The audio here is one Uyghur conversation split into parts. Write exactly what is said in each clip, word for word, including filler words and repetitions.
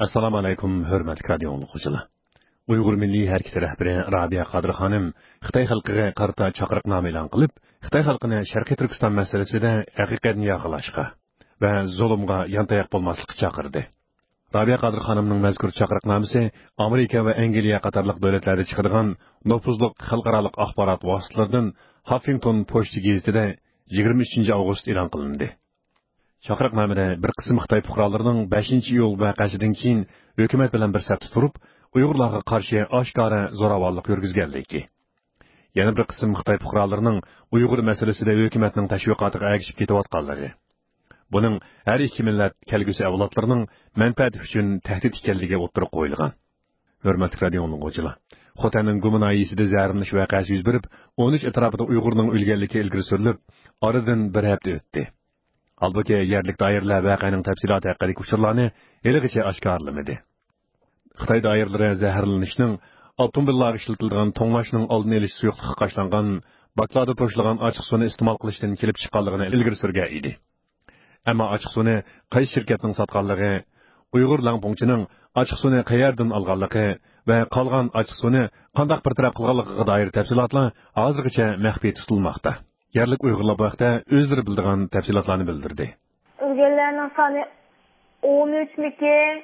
ئەسسالامۇ ئەلەيكۇم، ھۆرمەتلىك رادىئو ئاڭلىغۇچىلار. ئۇيغۇر مىللىي ھەرىكىتى رەھبىرى رابىيە قادىر خانىم خىتاي خەلقىگە قارىتا چاقىرىقنامە ئېلان قىلىپ، خىتاي خەلقىنى شەرقىي تۈركىستان مەسىلىسىدە ھەقىقەتنى ياقىلاشقا ۋە زۇلۇمغا يانتاياق بولماسلىققا چاقىردى. رابىيە قادىر خانىمنىڭ مەزكۇر چاقىرىقنامىسى ئامېرىكا ۋە ئەنگلىيە قاتارلىق دۆلەتلەردە چىقىدىغان نوپۇزلۇق خەلقئارالىق ئاخبارات ۋاسىتىلىرىدىن ھاففىنگتون پوچتا گېزىتىدە يىگىرمە ئۈچىنچى ئاۋغۇست ئېلان قىلىندى. چاقىرىقنامىدە بىر قىسىم خىتاي پۇقرالىرىنىڭ بەشىنچى ئىيۇل ۋەقەسىدىن كېيىن ھۆكۈمەت بىلەن بىر سەپتە تۇرۇپ، ئۇيغۇرلارغا قارشى ئاشكارا زوراۋانلىق يۈرگۈزگەنلىكى، يەنە بىر قىسىم خىتاي پۇقرالىرىنىڭ ئۇيغۇر مەسىلىسىدە ھۆكۈمەتنىڭ تەشۋىقاتىغا ئەگىشىپ كېتىۋاتقانلىقى، بۇنىڭ ھەر ئىككى مىللەت كەلگۈسى ئەۋلادلىرىنىڭ مەنپەئەتى ئۈچۈن تەھدىت ئىكەنلىكى ئوتتۇرىغا قويۇلغان. ھۆرمەتلىك رادىئو ئاڭلىغۇچىلار، خوتەننىڭ گۇما ناھىيەسىدە زەھەرلىنىش ۋەقەسى يۈز بېرىپ، ئون ئۈچ ئەتراپىدا ئۇيغۇرنىڭ ئۆلگەنلىكى ئىلگىرى سۈرۈلۈپ، ئارىدىن بىر ھەپتە ئۆتتى. ھالبۇكى، يەرلىك دائىرىلەر ۋەقەنىڭ تەپسىلاتى ھەققىدىكى ئۇچۇرلارنى ھېلىغىچە ئاشكارىلىمىدى. خىتاي دائىرىلىرى زەھەرلىنىشنىڭ ئاپتوموبىللارغا ئىشلىتىلىدىغان توڭلاشنىڭ ئالدىنى ئېلىش سۇيۇقلۇقىغا قاچىلانغان باكلاردا توشۇلغان ئاچچىق سۇنى ئىستېمال قىلىشتىن كېلىپ چىققانلىقىنى ئىلگىرى سۈرگەن ئىدى. ئەمما ئاچچىق سۇنى قايسى شىركەتنىڭ ساتقانلىقى، ئۇيغۇر لەڭپۇڭچىنىڭ ئاچچىق سۇنى قەيەردىن ئالغانلىقى ۋە قالغان ئاچچىق سۇنى قانداق بىر تەرەپ قىلغانلىقىغا دائىر تەپسىلاتلار ھازىرغىچە مەخپىي تۇتۇلماقتا. يەرلىك ئۇيغۇرلار بۇ ھەقتە ئۆزلىرى بىلىدىغان تەپسىلاتلارنى بىلدۈردى. ئۆلگەنلەرنىڭ سانى ئون ئۈچمىكىن؟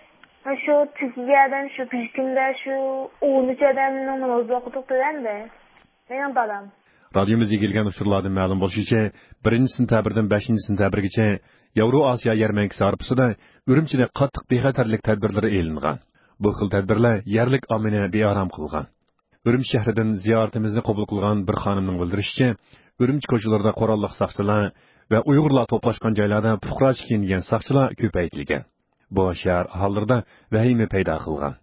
شۇ تۈركىيەدىن شۇ بۈگۈنكى كۈندە شۇ ئون ئۈچ ئادەمنىڭ نامازى ئوقۇدۇق دېگەندە. مېنىڭ بالام. رادىيومىز ئىگىلىگەن ئۇچۇرلاردىن مەلۇم بولۇشىچە، بىرىنچى سېنتەبىردىن بەشىنچى سېنتەبىرگىچە ياۋرو ئاسىيا يەرمەنكىسى ھارپىسىدا ئۈرۈمچىدە قاتتىق بىخەتەرلىك تەدبىرلىرى ئېلىنغان. بۇ خىل تەدبىرلەر يەرلىك ئاممىنى بىئارام قىلغان. ئۈرۈمچى شەھىرىدىن زىيارىتىمىزنى قوبۇل قىلغان بىر خانىمنىڭ بىلدۈرۈشىچە، ئۈرۈمچى كوچىلىرىدا قوراللىق ساقچىلار ۋە ئۇيغۇرلار توپلاشقان جايلاردا پۇقراچە كىيىنگەن ساقچىلار كۆپەيتىلگەن. بۇ شەھەر ئاھالىلىرىدا ۋەھىمە پەيدا قىلغان.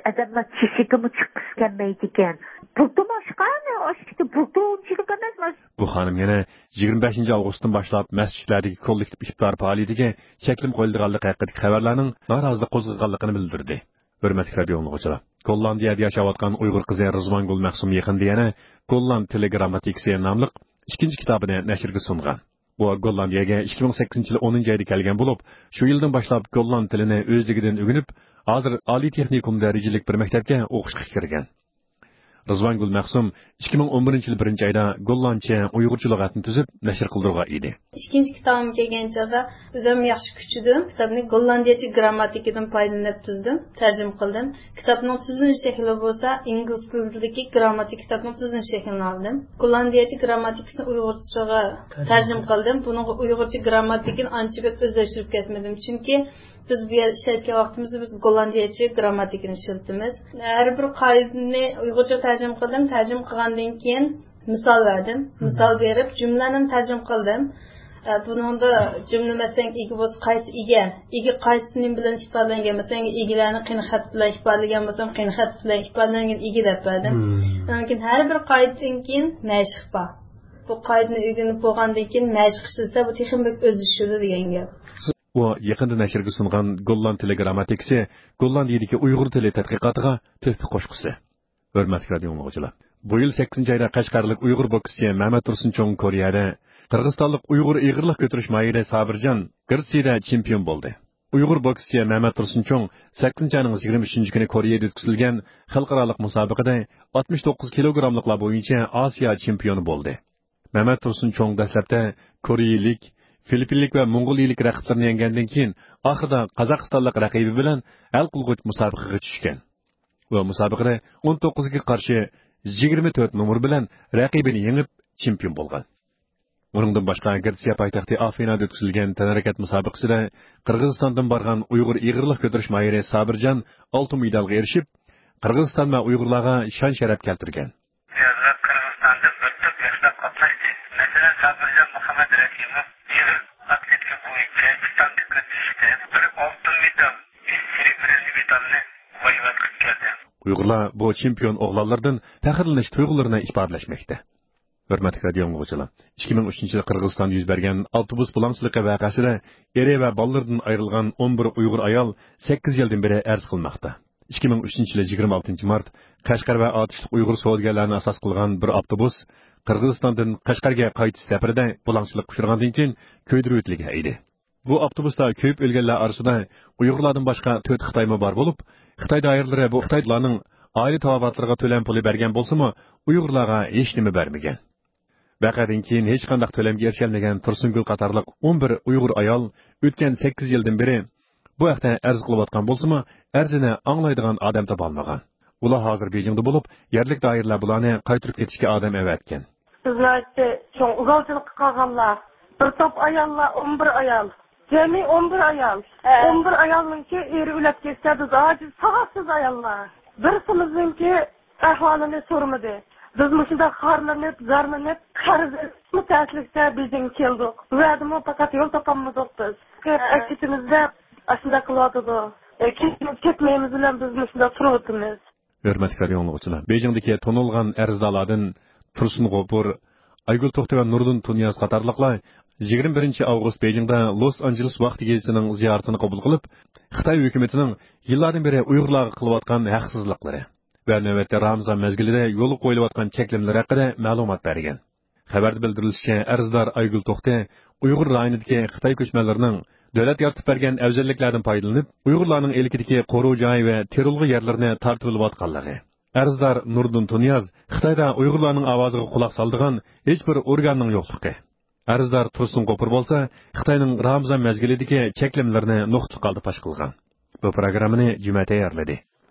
ئادەملەر چېشىكىمۇ چىققۇسى كەلمەيدىكەن. بۇلتۇرمۇ ئاشقان، ئاشتى بۇلتۇر ئۇنچىلىك ئەمەس. بۇ خانىم يەنە يىگىرمە بەشىنچى ئاۋغۇستتىن باشلاپ مەسچىتلەردىكى كوللېكتىپ ئىپتار پائالىيىتىگە چەكلىمە قويۇلىدىغانلىقى ھەققىدىكى خەۋەرلەرنىڭ نارازىلىق قوزغىغانلىقىنى بىلدۈردى. ھۆرمەتلىك رادىئو ئاڭلىغۇچىلار، گوللاندىيەدە ياشاۋاتقان ئۇيغۇر قىزى رىزۋانگۈل مەخسۇم يېقىندا يەنە گوللاند تىلى گىرامماتىكىسى ناملىق ئىككىنچى كىتابىنى نەشرگە سۇنغان. بۇ گوللاندىيەگە ئىككى مىڭ سەككىزىنچى يىلى ئونىنچى ئايدا كەلگەن بولۇپ، شۇ يىلدىن باشلاپ گوللاند تىلىنى ئۆزلۈكىدىن ئۆگىنىپ، ھازىر ئالىي تېخنىكوم دەرىجىلىك بىر مەكتەپكە ئوقۇشقا كىرگەن. رىزۋانگۈل مەخسۇم ئىككى مىڭ ئون بىرىنچى يىلى بىرىنچى ئايدا گوللاندچە ئۇيغۇرچە لۇغەتنى تۈزۈپ نەشر قىلدۇرغان ئىدى. ئىككىنچى كىتابىم كەلگەن چاغدا ئۆزۈم ياخشى كۈچىدىم. كىتابنى گوللاندىيەچە گىرامماتىكىدىن پايدىلىنىپ تۈزدۈم، تەرجىمە قىلدىم. كىتابنىڭ تۈزۈلۈش شەكلى بولسا ئىنگلىز تىلىدىكى گىرامماتىكا كىتابنىڭ تۈزۈلۈش شەكلىنى ئالدىم. گوللاندىيەچە گىرامماتىكىسىنى ئۇيغۇرچىغا تەرجىمە قىلدىم. بۇنىڭغا ئۇيغۇرچە گىرامماتىكىنى ئانچە بەك ئۆزلەشتۈرۈپ كەتمىدىم. چۈنكى بىز بۇ يەردە ئىشلەتكەن ۋاقتىمىزدا بىز گوللاندىيەچە گىرامماتىكىنى ئىشلىتىمىز. ھەر بىر قائىدىنى ئۇيغۇرچە تەرجىمە قىلدىم. تەرجىمە قىلغاندىن كېيىن مىسال بەردىم. مىسال بېرىپ، جۈملىلەرنى تەرجىمە قىلدىم. ئە، بۇنىڭدا جۈملە، مەسىلەن، ئىگە بولسا، قايسى ئىگە؟ ئىگە قايسى نېمە بىلەن ئىپادىلەنگەن؟ مەسىلەن، ئىگىلەرنى قېنى خەت بىلەن ئىپادىلىگەن بولسام، قېنى خەت بىلەن ئىپادىلەنگەن ئىگە دەپ بەردىم. مم. ئۇنىڭدىن كېيىن ھەر بىر قائىدىدىن كېيىن مەشىق بار. بۇ قائىدىنى ئۆگىنىپ بولغاندىن كېيىن مەشىق ئىشلىسە، بۇ تېخىمۇ بەك ئۆزلىشىدۇ دېگەن گەپ. ئۇ يېقىندا نەشرگە سۇنغان گوللاند تىلى گىرامماتىكىسى گوللاندىيىدىكى ئۇيغۇر تىلى تەتقىقاتىغا تۆھپە قوشقۇسى. ھۆرمەتلىك رادىئو ئاڭلىغۇچىلار، بۇ يىل سەككىزىنچى ئايدا قەشقەرلىك ئۇيغۇر بوكسچى مەمەت تۇرسۇن چوڭ كورېيەدە قىرغىزىستانلىق ئۇيغۇر ئېغىرلىق كۆتۈرۈش ماھىرى سابىرجان گرېتسىيەدە چېمپىيون بولدى. ئۇيغۇر بوكسچى مەمەت تۇرسۇن چوڭ سەككىزىنچى ئاينىڭ يىگىرمە ئۈچىنچى كۈنى كورېيەدە ئۆتكۈزۈلگەن خەلقئارالىق مۇسابىقىدە ئاتمىش توققۇز كىلوگراملىقلار بويىچە ئاسىيا چېمپىيونى بولدى. مەمەت تۇرسۇن چوڭ دەسلەپتە كورېيىلىك، فىلىپپىنلىك ۋە موڭغۇلىيىلىك رەقىبلىرىنى يەڭگەندىن كېيىن، ئاخىرىدا قازاقىستانلىق رەقىبى بىلەن ھەل قىلغۇچ مۇسابىقىگە چۈشكەن. بۇ مۇسابىقىدە ئون توققۇزغا قارشى يىگىرمە تۆت نومۇر بىلەن رەقىبىنى يېڭىپ، چېمپىيون بولغان. ئۇنىڭدىن باشقا، گرېتسىيە پايتەختى ئافىنادا ئۆتكۈزۈلگەن تەنھەرىكەت مۇسابىقىسىدە قىرغىزىستاندىن بارغان ئۇيغۇر ئېغىرلىق كۆتۈرۈش ماھىرى سابىرجان ئالتۇن مېدالغا ئېرىشىپ، قىرغىزىستان ۋە ئۇيغۇرلارغا شان-شەرەپ كەلتۈرگەن. يازغا قىرغىزىستاندىن بىر توپ ياشلار قاتناشتى. مەسىلەن، سابىرجان مۇھەممەد رەھىموف ئېغىر ئاتلېتىكا بويىچە ئىستانسىغا كۆتۈرۈشتە بىر ئالتۇن مېدال، ئۈچ بىرىنچى مېدالنى بايۋەت قىلىپ كەلدى. ئۇيغۇرلار بۇ چېمپىيون ئوغلانلاردىن پەخىرلىنىش تۇيغۇلىرىنى ئىپادىلەشمەكتە. ھۆرمەتلىك رادىئو ئاڭلىغۇچىلار، ئىككى مىڭ ئۈچىنچى يىلى قىرغىزىستاندا يۈز بەرگەن ئاپتوبۇس بۇلاڭچىلىقى ۋەقەسىدە ئېرى ۋە بالىلىرىدىن ئايرىلغان ئون بىر ئۇيغۇر ئايال سەككىز يىلدىن بېرى ئەرز قىلماقتا. ئىككى مىڭ ئۈچىنچى يىلى يىگىرمە ئالتىنچى مارت قەشقەر ۋە ئاتۇشلۇق ئۇيغۇر سودىگەرلەرنى ئاساس قىلغان بىر ئاپتوبۇس قىرغىزىستاندىن قەشقەرگە قايتىش سەپىرىدە بۇلاڭچىلىققا ئۇچرىغاندىن كېيىن كۆيدۈرۈۋېتىلگەن ئىدى. بۇ ئاپتوبۇستا كۆيۈپ ئۆلگەنلەر ئارىسىدا ئۇيغۇرلاردىن باشقا تۆت خىتايمۇ بار بولۇپ، خىتاي دائىرىلىرى بۇ خىتايلارنىڭ ئائىلە تاۋابىئاتلىرىغا تۆلەم پۇلى بەرگەن بولسىمۇ، ئۇيغۇرلارغا ھېچنېمە بەرمىگەن. ۋەقەدىن كېيىن ھېچقانداق تۆلەمگە ئېرىشەلمىگەن تۇرسۇنگۈل قاتارلىق ئون بىر ئۇيغۇر ئايال ئۆتكەن سەككىز يىلدىن بېرى بۇ ھەقتە ئەرز قىلىۋاتقان بولسىمۇ، ئەرزىنى ئاڭلايدىغان ئادەم تاپالمىغان. ئۇلار ھازىر بېيجىڭدا بولۇپ، يەرلىك دائىرىلەر بۇلارنى قايتۇرۇپ كېتىشكە ئادەم ئەۋەتكەن. بىز ناھايىتى چوڭ ئۇزالچىلىققا قالغانلار. بىر توپ ئاياللار، ئون بىر ئايال. جەمئىي ئون بىر ئايال. ھە. ئون بىر ئايالنىڭكى ئېرى ئۆلۈپ كەتسە، بىز ئاجىز، ساۋاتسىز ئاياللار. بىرسىمىزنىڭكى ئەھۋالىنى سورىمىدى. بىز مۇشۇنداق خارلىنىپ، زارلىنىپ، قەرز ئېلىپمۇ تەسلىكتە بېيجىڭغا كەلدۇق. بۇ يەردىمۇ پەقەت يول تاپالمىدۇق بىز. ھە. ئەكېتىمىز دەپ ئاشۇنداق قىلىۋاتىدۇ. ئە، كېتىمىز كەتمەيمىز بىلەن بىز مۇشۇنداق تۇرۇۋاتىمىز. ھۆرمەتلىك رادىئو ئاڭلىغۇچىلار، بېيجىڭدىكى تونۇلغان ئەرزدارلاردىن تۇرسۇن غوپۇر، ئايگۈل توختى ۋە نۇردىن تۇنىياز قاتارلىقلار يىگىرمە بىرىنچى ئاۋغۇست بېيجىڭدا لوس ئانژېلېس ۋاقتى گېزىتىنىڭ زىيارىتىنى قوبۇل قىلىپ، خىتاي ھۆكۈمىتىنىڭ يىللاردىن بېرى ئۇيغۇرلارغا قىلىۋاتقان ھەقسىزلىقلىرى ۋە نۆۋەتتە رامىزان مەزگىلىدە يولغا قويۇلۇۋاتقان چەكلىمىلەر ھەققىدە مەلۇمات بەرگەن. خەۋەردە بىلدۈرۈلۈشىچە، ئەرزدار ئايگۈل توختى ئۇيغۇر رايونىدىكى خىتاي كۆچمەنلىرىنىڭ دۆلەت يارىتىپ بەرگەن ئەۋزەللىكلەردىن پايدىلىنىپ، ئۇيغۇرلارنىڭ ئىلكىدىكى قورۇ جاي ۋە تېرىلغۇ يەرلىرىنى تارتىۋېلىۋاتقانلىقى، ئەرزدار نۇردىن تۇنىياز خىتايدا ئۇيغۇرلارنىڭ ئاۋازىغا قۇلاق سالىدىغان ھېچبىر ئورگاننىڭ يوقلۇقى، ئەرزدار تۇرسۇن غوپۇر بولسا خىتاينىڭ رامىزان مەزگىلىدىكى چەكلىمىلىرىنى نۇقتىلىق ھالدا پاش قىلغان. بۇ پروگراممىنى جۈمە تەييارلىدى.